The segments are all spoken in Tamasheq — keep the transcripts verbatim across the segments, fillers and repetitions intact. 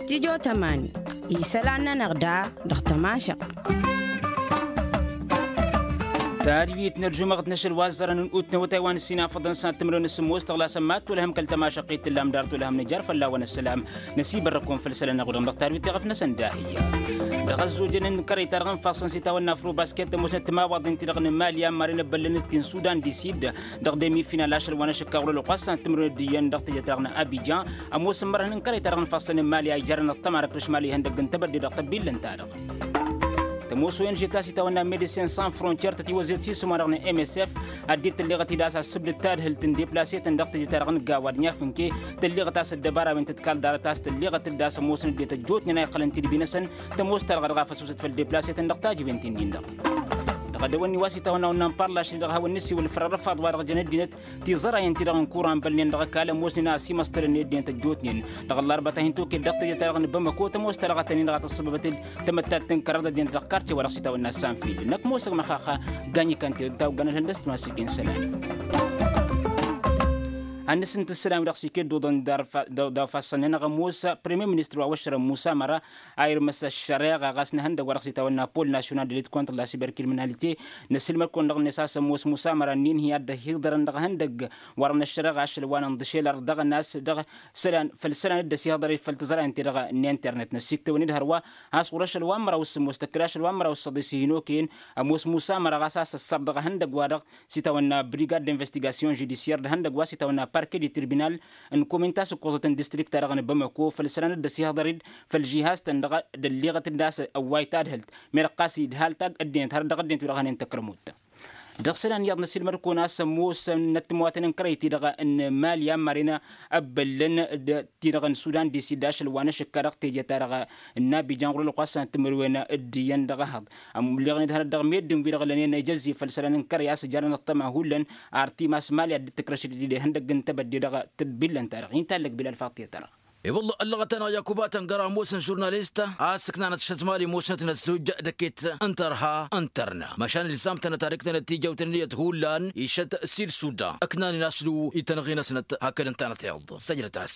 Tijo tămani isălan-nănăɣ da dăɣ-tămašăɣt. Tadwit n-ălžumăɣt n-ašăl wa ăẓẓărăn n-utnăwătay wa n-ăssinafăḍăn s-ad-tǝmrǝwăn s-ămoos tăɣlasăn mad-tolhăm kăl-tămašăɣt i-tǝllam dar tolhăm nǝjar fălla-wăn ăssălam. Năsibărrăkon făll-isălan n-aɣudăm dăɣ-tadwit teɣăf-năsăn dahǝyya. Dăɣ-ăzzojăn n-kărăy-ta-dăɣ n-ifassăn s-itawănna afrobasket ămoosnăt timawaḍen-ti-dăɣ n-mali a n-maren ăbbăllăn-t ti n-sudan di sid dăɣ-demi final ašăl wa n-ašǝkka ɣur-ălwăqq a-s săn tǝmrǝwăn ăddiyăn dăɣ-teje-ta-dăɣ n-abidjan. Ămoosăn mărhăn n-kărăy-ta-dăɣ n-ifassăn n-mali a ijarrăn ăṭṭăma d-ăkrǝš mali ihăndăgg n-tebădde dăɣ-tăbbillăn-ta-dăɣ. Tămoos o n g ta s-itawănna medecin sans frontier tătiwăzzet s-isǝm-wa-dăɣ n-msf. Ad-dd-tălleɣăt-dd a-s ăssǝbdăd tadhǝlt n-deplasetăn dăɣ-teje-ta-dăɣ n-gawa d-nǝfǝnke. Tălleɣăt a-s ăddăbara wi n-tǝdkal ḍarăt a-s tălleɣăt-dd a-s ămoosăn ăddinăt ăjjootnen a iqqălăn tidbi-năsăn. Tămoos-ta-dăɣ a dăɣ-afăsusăt făll-deplasetăn dăɣ-tajǝwen-tin-din-dăɣ. Dăɣ-edăwănni wa s-itawănna wănnan parlašnen dăɣ-hawăn-nǝsiwǝl fărăr ăfaḍ wa dăɣ-jăn ăddinăt tiẓărayăn-ti-dăɣ n-kuran bălnen dăɣ-ăkall ămoosnen a ăsimăstălăn i-ăddinăt ăjjootnen. Dăɣ-ăllarba ta hin-toked dăɣ-teje-ta-dăɣ n-bamăko tămoos-ta-dăɣ a tăn-in-dăɣ a tăssăbăbăt-dd tămăttat n-kăraḍ ăddinăt dăɣ-karce wa dăɣ-s itawănna s-anfil năkk mosăg măxaxa. Ganyi kănte ta oggăn ălhăndăs d-masǝken sălan. Hannăs n-tǝssǝlan wi dăɣ-s ikedduḍăn daw-ifassăn-nănăɣ ămoos premier ministăr wa wăššărăn musa măra a irmăs ăššăreɣa ɣas n-ehăndăg wa dăɣ-s itawănna pol national de lit contre la siberkriminalite. Năsǝlmăd-kăwăn-dăɣ-net a-s ămoos musa măra ǝnnin hi-ad-dd-hiḍărăn dăɣ-ehăndăg wa dăɣ-năššăreɣa ašăl wa n-inḍǝšel ar dăɣ-ănas dăɣ-isălan făll-isălan dd-ăsihăḍăr i-făll-tǝẓrayăn ti-dăɣ n-internet năssiktăwăn-dd hărwa. Has ɣur-ašăl wa n-măraw s-sǝmmos tăkkăd ašăl wa n-măraw s-săḍis hin-okăyăn ămoos musa măra ɣas a-s ăssăr dăɣ-ehăndăg wa dăɣ-s itawănna brigad d-investigation judisiyer d-ehăndăg wa s-itawănna parke di tribinal n-komin ta s-ǝkkoẓăt n-distrikt-ta-dăɣ n-bamăko făll-isălan dd-ăsihăḍăr-dd făll-žihaz-tăn-dăɣ. D-ălliɣăt-dd a-s ăwway tadhǝlt merăɣ ɣas idhal tagg ăddinăt har dăɣ-ăddinăt wi-dăɣ hănen tăkrămut. Dăɣ-isălan iyyăḍ n-asǝlmăd-kăwăn a-s ămoos n-ăttămwatăn n-kărăy-ti-dăɣ n-mali a n-maren ăbbăllăn d-ti-dăɣ n-sudan di-sid ašăl wa n-ašǝkka dăɣ-teje-ta-dăɣ n-abijan ɣur-ălwăqq a-s săn tǝmǝrwen d-iyyăn dăɣ-ehăḍ. Ămlăɣnen hărăt dăɣ-meddǝn-wi-dăɣ lănen ijăzzi făll-isălan n-kărăy a-s ǝjarăn ăṭṭăma hullan. Ar timas mali ad-dd-tǝkrăšăt d-ihăndăgg n-tebădde dăɣ-tǝbbillăn-ta-dăɣ intallăg bilal faṭṭe-ta-dăɣ. I-wălla ăllăɣăt-anăɣ yakub atăngăr ămoosăn žurnalist a-s ǝknanăt šătmali ămoosnăt n-ăzzoj d-eket n-tărha n-tărna măšan ilzam-tănăt ad-ǝknanăt tijawt n-ǝnniyăt hullan išăt s-id-sudan ǝknanen aslu i-tanăɣe-năsnăt hakd ǝntanăt iḍ săjdăt-as.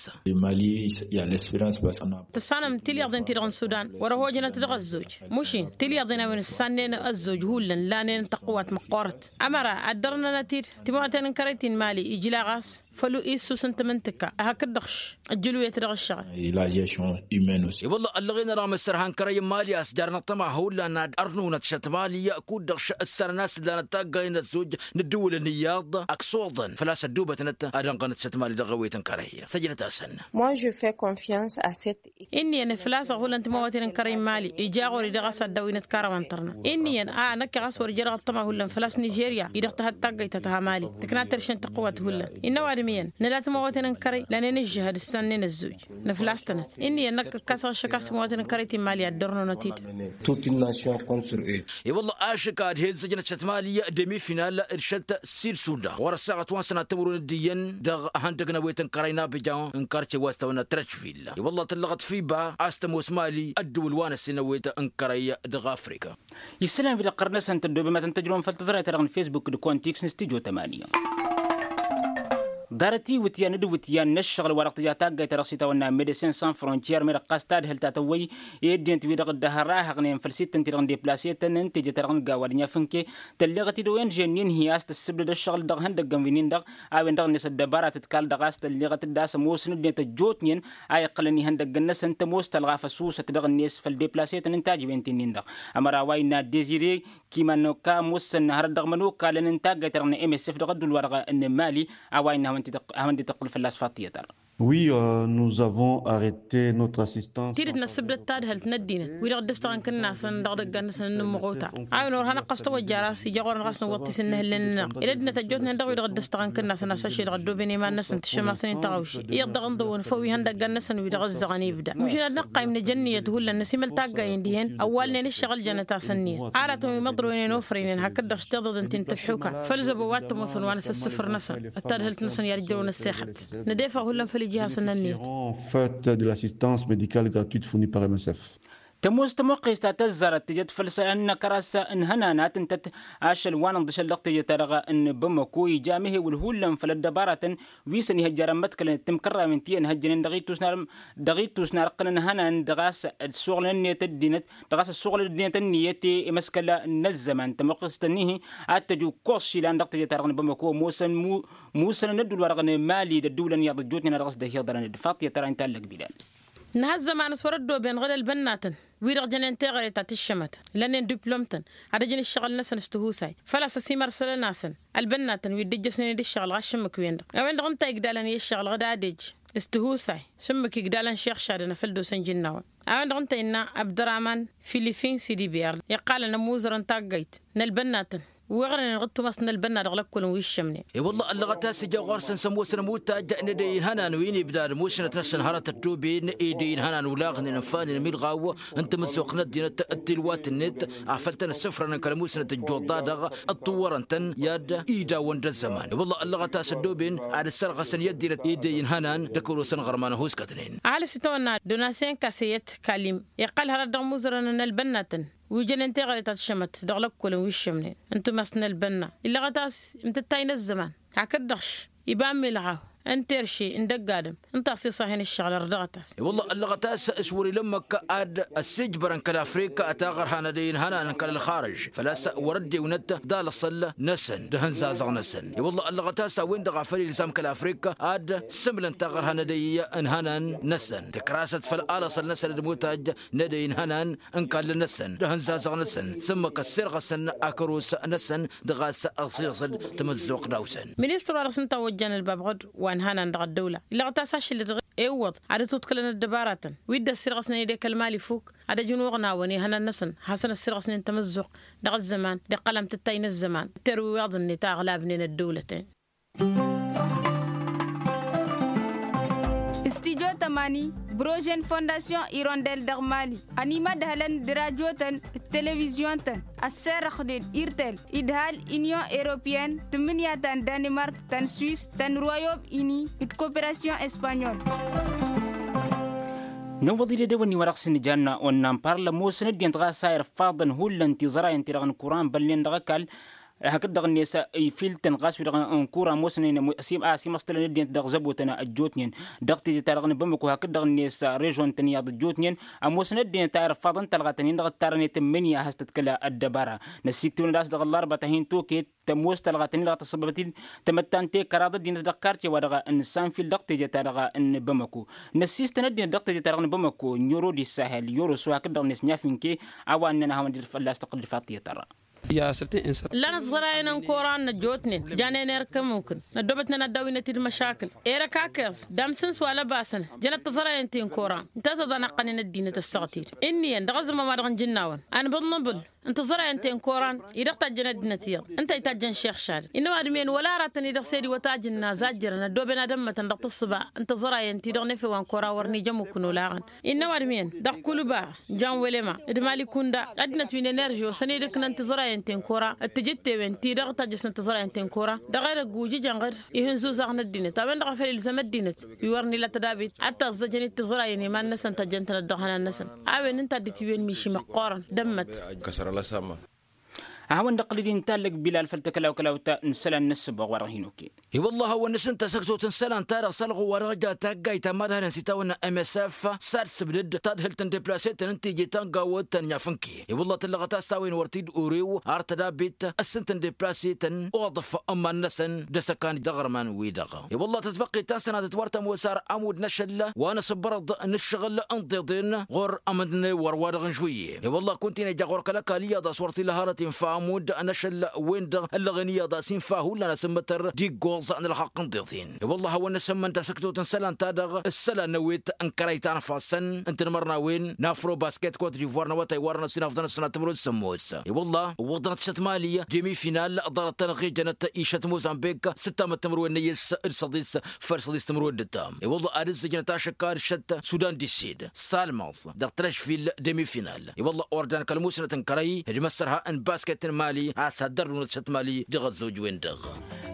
Tăssanăm tilyaḍen-ti-dăɣ n-sudan wăr-ăhojănăt dăɣ-ăzzoj mušin tilyaḍen a-wen ǝssannen ăzzoj hullan lanen tăqqǝwat măqqoorăt. Ămăra ad-dărnănăt-dd timawten n-kărăy ti n-mali ijla ɣas făll-issus n-tamǝntǝkka hakd-dăɣ ăjjǝluyăt dăɣ-ǝššăɣǝl. I-wălla ăllăɣen-anăɣ măssărha n-kărăy n-mali a-s jarăn ăṭṭăma hullan ad-ărnunăt šăt mali kud-dăɣ ǝssărăn a-s ǝllanăt taggayen n-ăzzoj n-ǝddǝwǝlăn iyyăḍ ăksoḍăn făl-a-s ăddubătnăt ad-ănɣănăt šăt mali dăɣ-ewet n-kărăy. Săjdăt-asăn. Inn'-iyyăn făl-a-s ăɣulăn timawăten n-kărăy n-mali ija ɣur-i dăɣ-a-s ad-dăwinăt karaman tărna. Inn'-iyyăn a năkk ɣas wăr-ija dăɣ-ăṭṭăma hullan făl-a-s nižerya-i-dăɣ tăhăt taggăyt ta tăha mali tǝkna terše n-tăqqǝwat hullan. Innă ăwadǝm iyyăn nǝla timawăten n-kărăy lanen ǝžžǝhăd ǝssannen ăzzoj nǝflas-tănăt. Inn'-iyyăn năkk ǝkkasăɣ ašăk a-s timawăten n-kărăy ti n-mali ad-dărnăwănăt-dd. Toute une nation contre eux. I-wălla ašăk ad-hezzăjnăt šăt mali demi-final d-šăt sid-sudan ɣur-ăssaɣăt wa n-sănat tămrun d-iyyăn dăɣ-ehăndăg n-ewet n-kărăy n-abijan n-karce wa s-tawănna trăcvil. I-wălla tăllăɣăt fiba a-s tămoos mali ăddǝwǝl wa n-ăssin ewet n-kărăy dăɣ-afrika. Isălan wi-dăɣ ɣur-năsăn tăddoobem ad-tăn-tăjrăwăm făll-tǝẓrayt-ta-dăɣ n-fesbuk d-kontiks n-stujo tămani. Ḍarăt iwǝtyan d-iwǝtyan n-ǝššăɣǝl wa dăɣ-tǝja taggayt-ta-dăɣ s-itawănna medecin sans frontier medăɣ ɣas tadhǝlt a tăwwăy i-ăddinăt-wi-dăɣ dd-ăhrahăɣnen făll-sittăn-ti-dăɣ n-deplasetăn n-teje-ta-dăɣ n-gawa d-inyafǝnke. Tălleɣăt-dd o n g-nin-hi a-s tăssǝbdăd ǝššăɣǝl dăɣ-ihăndăggăn wi-nin-dăɣ a-wen-dăɣ-net ăddăbara tǝtkal dăɣ-a-s tălleɣăt-dd a-s ămoosăn ăddinăt ăjjootnen a iqqălăn ihăndăggăn-năsăn tămoos tălɣa făsusăt dăɣ-net făll-deplasetăn n-tajǝwen-ti-nin-dăɣ. Ămăra wa innă dezire kimanoka ămoosăn hărăt dăɣ-imănokalăn n-taggayt-ta-dăɣ n-msf dăɣ-ădduul-wa-dăɣ n-mali. A-wa innă a hawăn-dd-tǝqqǝl fălla-s faḍt tiyyăt-ta-dăɣ. Oui, nous avons arrête notre assistance. Tidǝt năssǝbdăd tadhǝlt n-ăddinăt wi-dăɣ dd-ăstăɣăn kǝnnasăn dăɣ-idăggan-năsăn n-ǝmmǝɣuta. A-wen wăr hanăɣ-ɣas tawăjja ar a-s ija ɣur-năɣ a-s nǝwwăḍ tisǝnnǝhǝlnen-nănăɣ ila ăddinăt ăjjootnen dăɣ-wi-dăɣ dd-ăstăɣăn kǝnnasăn a-s ašăl-i-dăɣ ăddooben iman-năsăn tǝššămasăn-in tăɣawše iyyăḍ dăɣ-ǝnḍǝwăn făw ihăndăggan-năsăn wi-dăɣ ǝzzăɣăn ibda măšin ad-năqqayǝm nǝja ǝnniyăt hullan năsimăl taggayen dihen ăwwalnen ǝššăɣǝl jănăt-as ǝnniyăt. Aratăn wi măḍroynen ofrăynen hakd-dăɣ s-tiḍeḍen ti n-tǝlḥuka făll-zăbo wa t-ămoosăn wa n-asǝssǝfǝr-năsăn d-tadhǝlt-năsăn i-ad-ǝjrăwăn ăssexăt. Nădefăɣ hullan făll-ijihasăn n-ǝnniyăt. Făt de l'assistance médicale gratuite fournie par msf. Tămoos tămoqqes ta tăzzarăt tejăt făll-isălan n-akăras n-ihănan ad-tǝntăt ašăl wa n-inḍǝšăl dăɣ-teje-ta-dăɣ n-bamăko ija amehewǝl hullan făll-ăddăbaratăn wi săn-ihăjjarăn măḍkălăn d-timkărrawen ti ănhăjjănen dăɣ-ittus n-arăqqăn n-ihănan dăɣ-a-s ăssuɣǝlăn ǝnniyăt ăddinăt dăɣ-a-s ăssuɣǝlăn ăddinăt ǝnniyăt i-imăskăl n-ăzzăman tămoqqest-ănnihi ad-tăj ukkoẓ išilan dăɣ-teje-ta-dăɣ n-bamăko ămoosăn musănăn ădduul-wa-dăɣ n-emali d-ădduulăn iyyăḍ ăjjootnen a dăɣ-s dd-hiḍărăn d-faṭṭiyăt ara n-tallăg bilal. Nǝha ăzzăman s-wăr-ăddooben ɣǝd-ălbănnatăn wi-dăɣ jănen teɣăre ta tǝššămăt lănnen diplom-tăn ad-ăjǝn ǝššăɣǝl-năsăn s-tihusay făl-a-s ăsimărsălăn-asăn ălbănnatăn wi dd-ǝjjăsnen d-ǝššăɣǝl ɣas šǝmmǝk-wen-dăɣ a-wen-dăɣ ǝnta igdalăn i-ǝššăɣǝl ɣǝd ad-ej s-tihusay šǝmmǝk igdalăn šixšadăn a făl dd-osăn jǝnnawăn. A-wen-dăɣ ǝnta innă abdăraman filifin sidibiyar iqqalăn ămuzărăn taggayt n-ălbănnatăn wi ɣărnen ɣǝttumăs n-ălbănna dăɣ-lăkkolăn wi ǝššămnen. I-wălla ăllăɣăt a-s ija ɣur-săn s-ămoosăn ămutajj n-edăy n-ihănan wi n-ibdad musnăt-năsăn hărăt ăddooben edăy n-ihănan ulaɣnen ănfanen ămilɣaw n-tamǝzzuɣt n-ăddinăt d-tilwat-net afăl tăn-ăssǝfrănăn kăl-musnăt ăjjuḍ-ta-dăɣ ăṭṭuwwărăn-tăn i-ad-idawăn d-ăzzăman i-wălla ăllăɣăt a-s ăddooben ad-ǝssărɣăsăn i-ăddinăt edăy n-ihănan d-ăkăwăl-osăn ɣărman ăhuskătnen. Ăhalǝs itawănna d-onasyen kaseyăt kalim iqqăl hărăt dăɣ-imuzărăn n-ălbănnatăn wi jănen teɣăre ta tǝššămăt dăɣ-lăkkolăn wi ǝššămnen n-tumăs n-ălbănna illăɣăt a-s imtǝttay n-ăzzăman hakd-dăɣ š-iba n-milɣaw n-terše n-dăgg-adǝm ǝnta a-s iṣahen ǝššăɣǝl ărdăɣăt-as. I-wălla ăllăɣăt a-s s-wăr-ila n-măkka ad-ăssiijbărăn kăl-afrika taɣărha n-edăy n-ihănan kăl-ălxarǝž făl-a-s wăr-ăddewnăt d-alăṣăl-năsăn d-ehăn zazăɣ-năsăn. I-wălla ăllăɣăt a-s a-wen-dăɣ a făl ilzam kăl-afrika ad-sǝmlăn taɣărha n-edăy n-ihănan-năsăn tǝkrasăt făll-alăṣăl-năsăn d-imutaj n-edăy n-ihănan n-kallăn-năsăn d-ehăn zazăɣ-năsăn s-ǝmmǝk ăssirɣăsăn akăros-năsăn dăɣ-a-s ăṣiẓăd tamǝzzuɣt daw-săn. Ministăr wa dăɣ-s ǝnta a ojjan ălbabɣăd wa n-ihănan dăɣ-ăddăwla illăɣăt a-s ašăl-dd iwwăḍ ad-ătuḍkǝlăn ăddăbaratăn wi dd-ăssirɣăsnen edăy kăl-mali fuk ad-ăj n-uɣnawăn ihănan-năsăn hasăn-ăssirɣăsnen tamǝzzuɣt dăɣ-ăzzăman d-iqqăl amtǝttay n-ăzzăman d-terwiwaḍ-net a ăɣlabnen ăddăwlăten. Studyo tămani brožen fondasyon irondel dăɣ-mali ănimădhălăn d-rajotăn d-televizyon-tăn ăsserăxnen irtel idhal inyon europyen tǝmmǝnǝya ta n-danimark ta n-swis ta n-royom ini d-koperasyon espanyol. Nǝwwăḍ-dd edăwănni wa dăɣ-s nǝjanna onnanparlăm osăn ăddinăt ɣas a irfaḍăn hullan tiẓărayăn-ti-dăɣ n-kuran bălnen dăɣ-ăkall hakd-dăɣ-net ifiltăn ɣas wi-dăɣ n-kura ămoosnen a simăstălăn ăddinăt dăɣ-zăbotăn ăjjootnen dăɣ-tezet-ta-dăɣ n-bamăko hakd-dăɣ-net režon-tăn iyyăḍ ăjjootnen ămoosăn ăddinăt a irfaḍăn talɣatăn-in-dăɣ ǝttarăn i-tǝmmǝnǝya a has-tăt-kăla ăddăbara. Năssiiktǝwăn ad-dăɣ-ăllarba ta hin-toket tămoos talɣatăn-in-dăɣ tăssăbăbăt-dd tamăttant i-kăraḍ ăddinăt dăɣ-karce wa dăɣ-n sanfil dăɣ-tezet-ta-dăɣ n-bamăko. Năssiistăn ăddinăt dăɣ-tezet-ta-dăɣ n-bamăko n-yoro d-issahel yoro s-o hakd-dăɣ-net n-iyafinke a-wa ǝnnăn ad-hawăn-dd-fălla-s tăqqǝl d-faṭṭiyăt ărra. Ǝllanăt tiẓărayăn n-koran n-ăjjootnen janen erk ămmukǝn năddoobătnen ad-dd-awǝynăt-dd măšakǝl. Erăk akez d-amsǝns wa lăbasăn jănăt tiẓărayăn ti n-koran ǝnta a tăḍanaqqănen ăddinăt ăssaɣăt-dd ǝnniyăn dăɣ-ăzzăman wa dăɣ-nǝjǝnnawăn anbǝḍnǝbǝl n-tiẓărayăn ti n-koran i-dăɣ tajjăn ăddinăt iyyăḍ ǝnta a itajjăn šixšadăn innă ăwadǝm iyyăn wăla aratăn-i-dăɣ s-ed iwătajǝnna zajjărăn ăddooben ad-ămmătăn dăɣ-tǝssǝba n-tiẓărayăn-ti-dăɣ n-efew wa n-koran wăr n-ija ămmukǝn olaɣăn. Innă ăwadǝm iyyăn dăɣ-kulba janwelema d-mali kunda ăddinăt wi n-enerži osăn-dd ǝknăn tiẓărayăn-ten kora d-tijǝttewen-ti-dăɣ tajjăsnăt tiẓărayăn-ten kora dăɣ-edăgg ujǝjăn ɣǝd ihǝnzuzaɣ n-ăddinăt a-wen-dăɣ a făl ilzăm ăddinăt wi wăren ila tădabit ad-taẓẓăjăn-dd tiẓărayăn i-iman-năsăn tăjjăn-tănăt dăɣ-ihănan-năsăn. A-wen ǝnta a dd-itiwen miši măqqoorăn d-ămmăt. Ad-hawăn-dd-ăqqǝl d-inta allăg bilal făll-tăklaw-kălaw ta n-isălan n-ǝssǝboɣ wa dăɣ-hin-oken. I-wălla a hawăn-nǝsǝnta s-ăktot n-isălan-ta-dăɣ s-ălɣu wa dăɣ-ja taggayt ta mad-hănen s-itawănna msf s-ad-sǝbdǝd tadhǝlt n-deplaseten n-tiji ta n-gawăt ta n-inyafǝnke. I-wălla tǝllăɣăt a-s a-wen wăr t-dd-urew ar tădabit ǝssǝnt n-deplaseten oḍăf n-iman-năsăn d-asăkan dăɣ-ărman-wi-dăɣ. I-wălla tatbăqqit ta n-sănatăt wăr tămoos ar ămudd n-ašăl wa n-asǝbbărăḍ n-ǝššăɣǝl n-iḍeḍen ɣur-ămǝnne wăr-wa-dăɣ n-žwǝyye. I-wălla kunta-in ija ɣur-kăl-ăkall iyyăḍ a-s wăr t-ila hărăt infa ămudd n-ašăl wen-dăɣ ăllăɣen iyyăḍ a-s infa hullan asǝmmătăr d-iggoẓ n-ălxaqq n-iḍeḍen. I-wălla a hawăn-năsămmăn tasǝktot n-isălan-ta-dăɣ s-isălan n-ewet n-kărăy ta n-ifassăn n-tinmărnawen n-afrobasket kot divoir n-awătay wa dăɣ-năsinafḍăn ăssanat timǝrwen d-sămmos. I-wălla ǝwwăḍnăt šăt mali demi-final ḍarăt-tăn ăɣijănăt išăt mozambik s-ǝttamăt timǝrwen n-eyyǝs d-săḍis făll-săḍis timǝrwen d-ǝttam. I-wălla ad-ǝzzǝjnăt ašăkka d-šăt sudan d-isid s-almaẓ dăɣ-trăžfil demi-final. I-wălla ordan kăl-musnăt n-kărăy d-imăssărha n-basket n-mali a-s ad-dd-ărrunăt šăt mali dăɣ-ăzzoj-wen-dăɣ.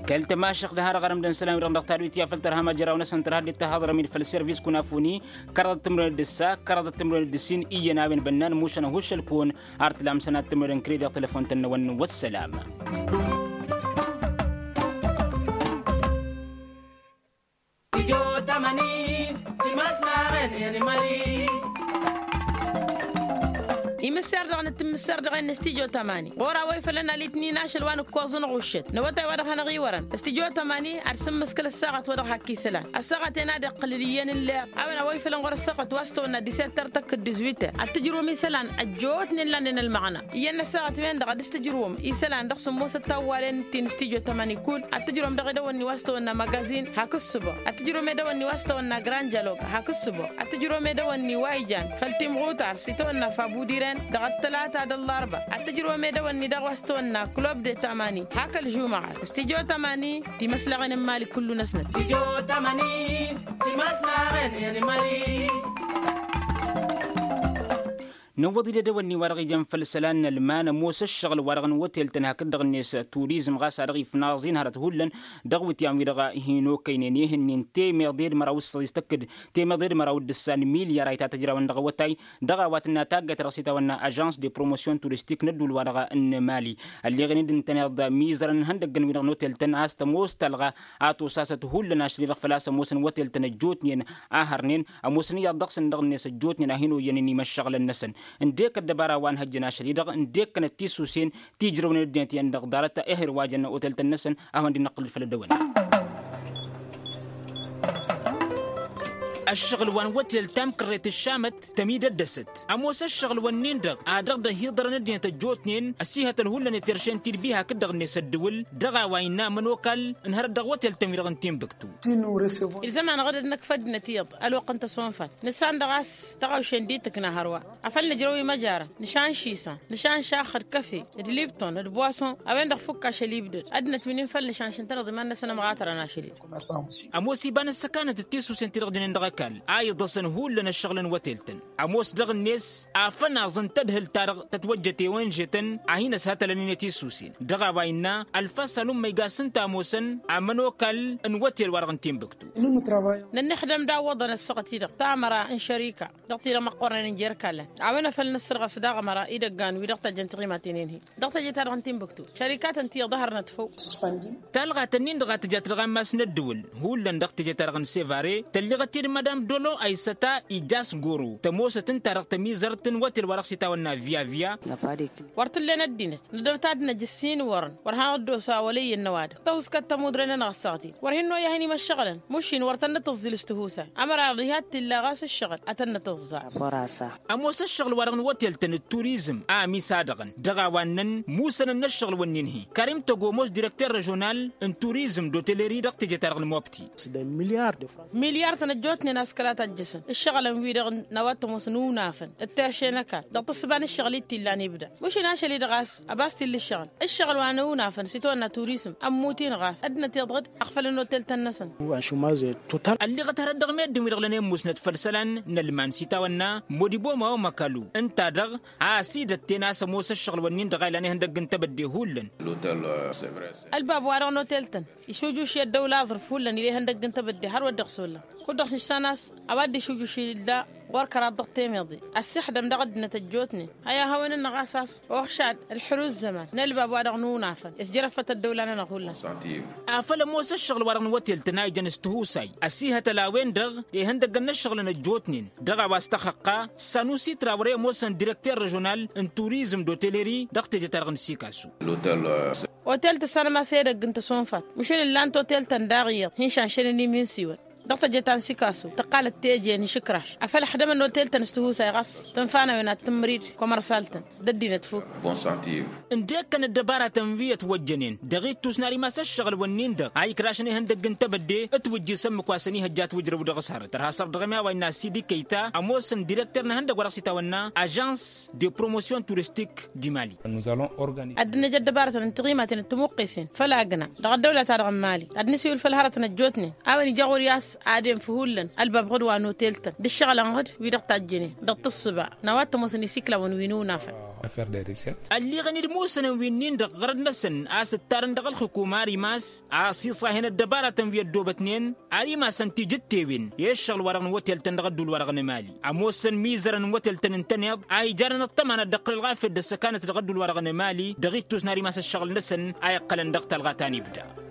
Kăl-tămašăx d-ha-dăɣ arămdăn isălan-wi-dăɣ dăɣ-tadwit i-afăl tărha măjraw-năsăn tărha dd-tahăḍrăm-in făll-servis kunafuni kăraḍăt timrăwen d-ǝssa kăraḍăt timrăwen d-ǝssin iyyăn a-wen bănnan mušăn ăhuššăl-kăwăn ar tǝlam sănat timrăwen kredi dăɣ-telăfon-tăn-năwăn. Wăssălam. Imǝssar dăɣ-nǝttǝmmǝssar dăɣ-en n-stijo tamani ɣur-a-wa ifălăn alitnin ašăl wa n-ǝkkoẓ n-ɣuššăt n-awătay wa dăɣ-hanăɣ-iwărăn stijo tamani ad-sǝmmǝskǝl ăssaɣăt wa dăɣ-hakk isălan ăssaɣăt-en ad-iqqǝlǝl iyyăn n-leɣ a-wen a-wa ifălăn ɣur-ăssaɣăt wa s-tawănna disetter tăkk d-dizwităr ad-tǝjrǝwăm isălan ăjjootnen lannen ălmăɣna iyyăn n-ăssaɣăt-wen-dăɣ ad-dăɣ-s tǝjrǝwăm isălan dăɣ-sǝmmosăt tawwalen ti n-stijo tamani kull ad-tǝjrǝwăm dăɣ-edăwănni wa s-tawănna magazin hak ǝssǝbăɣ ad-tǝjrǝwăm edăwănni wa s-tawănna grand dialog hak ǝssǝbăɣ ad-tǝjrǝwăm edăwănni wa ijan făll-timɣutar s-itawănna fabudiren dăɣ-ăttălata d-ăllarba ad-tǝjrǝwăm edăwănni daɣ wa s-tawănna club de tamani hak ălžumăɣat stijo tamani timăslaɣen n-imali kullu-năsnăt. Tijo tamani timăslaɣen n-imali. Nǝwwăḍ-dd edăwănni wa dăɣ-ijăn făll-isălan n-ălman ămoos ăššăɣǝl wa dăɣ-n wătel-tăn hakd-dăɣ-net turizm ɣas a dăɣ-ifnaẓ-in hărăt hullan dăɣ-iwǝtyan-wi-dăɣ hin-okăynen i-ihǝnnin temeḍe d-măraw s-săḍis tăkk-dd temeḍe d-măraw d-ǝssan milyar a itatăjrawăn dăɣ-awătay dăɣ-a-wa tǝnna taggayt ta dăɣ-s itawănna ažans de promotion turistik n-ădduul-wa-dăɣ n-mali. Ălleɣen-dd ǝntăneḍ mizărăn ihăndăggăn-wi-dăɣ n-otel-tăn a-s tămoos talɣa a tosasăt hullan ašăl-i-dăɣ făl-a-s ămoosăn wătel-tăn ăjjootnen a hărnen ămoosăn iyyăḍ dăɣ-săn dăɣ-net ăjjootnen a hin-oyyănen imăššăɣǝlăn-năsăn. Ǝndek ăddăbara wa n-hăjjăn ašăl-i-dăɣ ǝndek kănăt tisusen ti ǝjrăwnen ăddinăt iyyăn dăɣ-ḍarăt ehăr wa jănna otel-tăn-năsăn a hawăn-dd-năqqǝlǝd făll-ăddăwănna. Ăššăɣǝl wa n-wătel ta n-kărret ǝššamăt tămidăddăsăt ămoos ăššăɣǝl-wǝnnin-dăɣ a dăɣ-dd-ăhiḍărăn ăddinăt ăjjootnen ăsihătăn hullan i-terše n-tidbi hakd-dăɣ-net ăddǝwǝl dăɣ-a-wa innă amănokal n-hărăt dăɣ-wătel-tăn-wi-dăɣ n-tinbǝktu. Ilzăm-anăɣ-dd ad-năkf ăddinăt iyyăḍ ălwăqq n-tăsonfat nǝssan dăɣ-a-s tăɣawše n-dd-tǝkna hărwa afăl nǝjrăw imăjarăn nǝšanšisăn nǝšanšax d-kăfe d-lipton d-bwason a-wen-dăɣ fukk ašăl ibdăd ăddinăt wi n-infăl nǝšanš ǝntăneḍ iman-năsăn ămɣatărăn ašăl-i-dăɣ. Ămoos iba n-ăssăkanăt d-tisusen ti-dăɣ jănen dăɣ-ăkall a iḍăsăn hullan ăššăɣǝl n-wătel-tăn ămoos dăɣ-net afănaẓ n-tadhǝlt-ta-dăɣ tătwăjjăt i-onže-tăn a hin-ăshătălăn-in i-tisusen dăɣ-a-wa innă ălfas alumma igasăn tamosăn amănokal n-wătel-wa-dăɣ n-tinbǝktu. Nănnăxdăm d-awwăḍăn ăssaɣăt-i-dăɣ tamăra n-šărika dăɣ-ti-dăɣ măqqoornen n-jer-ikallăn a-wen a făl nǝssărɣăs daɣ ămăra idăggan wi dăɣ-tăjjăn tiɣimaten-en-hi dăɣ-teje-ta-dăɣ n-tinbǝktu šărikatăn ti iḍăhărnăt făw. Talɣat-ǝnnin-dăɣ a tǝjat dăɣ-ammas n-ăddǝwǝl hullan dăɣ-teje-ta-dăɣ n-sevare tălleɣ-t-dd madam dolo aysăta ijas goro tămoosăt ǝnta-dăɣ tămizărt n-wătel wa dăɣ-s itawănna via via. Wăr t-ǝllen ăddinăt nădăw-t ad-năj ǝssin wărăn wăr hanăɣ-dd-osa wăla iyyăn n-ăwadǝm tăhuskăt tămudre-nănăɣ ăssaɣăt-in wăr hin-noyya hin-imăššăɣǝlăn mušin wăr tăn-nǝtǝẓẓǝl s-tihusay ămăra iḍa iha t-illa ɣas ǝššăɣǝl ad-tăn-nǝtǝẓẓa. Ămoos ăššăɣǝl-wa-dăɣ n-wătel-tăn d-turizm a ămisa-dăɣăn dăɣ-a-wa ǝnnăn musănăn n-ăššăɣǝl-wǝnnin-hi karim tăgomos direkter režional n-turizm d-oteleri dăɣ-teje-ta-dăɣ n-mobti. Milyar-tăn ăjjootnen a-s kăla tajjăsăn ǝššăɣǝlăn-wi-dăɣ n-a-wa t-ămoosăn unafăn d-terše n-ăkall dăɣ-tǝssǝba n-ǝššăɣǝl-i t-illa n-ibda mušin ašăl-i-dăɣ a-s ăbas t-illa ǝššăɣǝl ǝššăɣǝl wa n-unafăn s-itawănna turizm ămmutin ɣas ăddinăt iḍɣǝd ăɣfălăn otel-tăn-năsăn. Ălleɣăt hărăt dăɣ-meddǝn-wi-dăɣ lănen musnăt făll-isălan n-ălman s-itawănna modibo mawo măkălu ǝnta-dăɣ a ăsidătten a-s ămoos ăššăɣǝl-wǝnnin-dăɣ a ilan ihăndăgg n-tebădde hullan. Ălbab-wa-dăɣ n-otel-tăn išujuši ăddăwla aẓrǝf hullan ila ihăndăgg n-tebădde hărwa dd-iɣsullan kud-dăɣ s-išsan a-s a-wa dd-išujuši illa ɣur-kăraḍ dăɣ-temeḍe ăssixdăm dăɣ-ăddinăt ăjjootnen. Ăy ahăwăn-nănăɣ a-s a-s oxšad ălḥărus zăman n-ălbab-wa-dăɣ n-unafăn isjărăfăt ăddăwla-nănăɣ hullan. Afăl ămoos ăššăɣǝl-wa-dăɣ n-wătel-tăn a ijăn s-tihusay ăsihătăl a-wen-dăɣ ihăndăggăn n-ăššăɣǝlăn ăjjootnen dăɣ-a-wa s-tăxăqqa sanusi trawre ămoosăn direkter režional n-turizm d-oteleri dăɣ-teje-ta-dăɣ n-sikasu. Otel tǝssanăm a-s edăgg n-tăsonfat măšin ǝllan-t otel-tăn daɣ iyyăḍ hin-šanšănen iminsiwăn dăɣ-teje ta n-sikasu tăqqalăt teje n-išǝkraš afăl ăxdămăn otel-tăn s-tihusay ɣas tănfa n-a-wen ad-tǝmmărid komărsal-tăn d-ăddinăt fuk. Ǝndek-kăn ăddăbaratăn wi ătwăjjănen dăɣ-ittus n-ad-imas ăššăɣǝl-wǝnnin-dăɣ a ikrašăn ihăndăgg n-tebădde ǝtwǝjjǝsăn mǝkwasăn ihăjja ătwǝjrăw dăɣ-s hărăt tărha săr dăɣ-ămiya wa innă sidi kăyta ămoosăn direkter n-ehăndăgg wa dăɣ-s itawănna ažans de promotion turistik. Di mali. Ad-dd-năj ăddăbarătăn n-tiɣimaten d-timuqqesen făll-agna dăɣ-ăddăwla-ta-dăɣ n-mali ad-nǝsiwǝl făll-hărătăn ăjjootnen a-wen ija ɣur-i a-s ad-enf hullan ălbab ɣǝd wa n-otel-tăn d-ǝššăɣǝlăn ɣǝd wi-dăɣ tajjănen dăɣ-tǝssǝba n-a-wa t-ămoosăn isiklawăn wi n-unafăn. Ălliɣăn-dd musănăn wi-nin-dăɣ ɣărăt-năsăn a-s ǝttarăn dăɣ-ălxǝkum ar imas a-s iṣahăn ăddăbaratăn wi ăddoobătnen ar imasăn tijǝttewen i-ǝššăɣǝl-wa-dăɣ n-wătel-tăn dăɣ-ădduul-wa-dăɣ n-emali. Ămoosăn imizărăn n-wătel-tăn ǝntăneḍ a ijarăn ăṭṭăma n-ad-dd-ăqqǝl ălɣafyăt d-ăssăkanăt dăɣ-ădduul-wa-dăɣ n-emali dăɣ-ittus n-ar imas ăššăɣǝl-năsăn a iqqălăn dăɣ-talɣa ta n-ibda.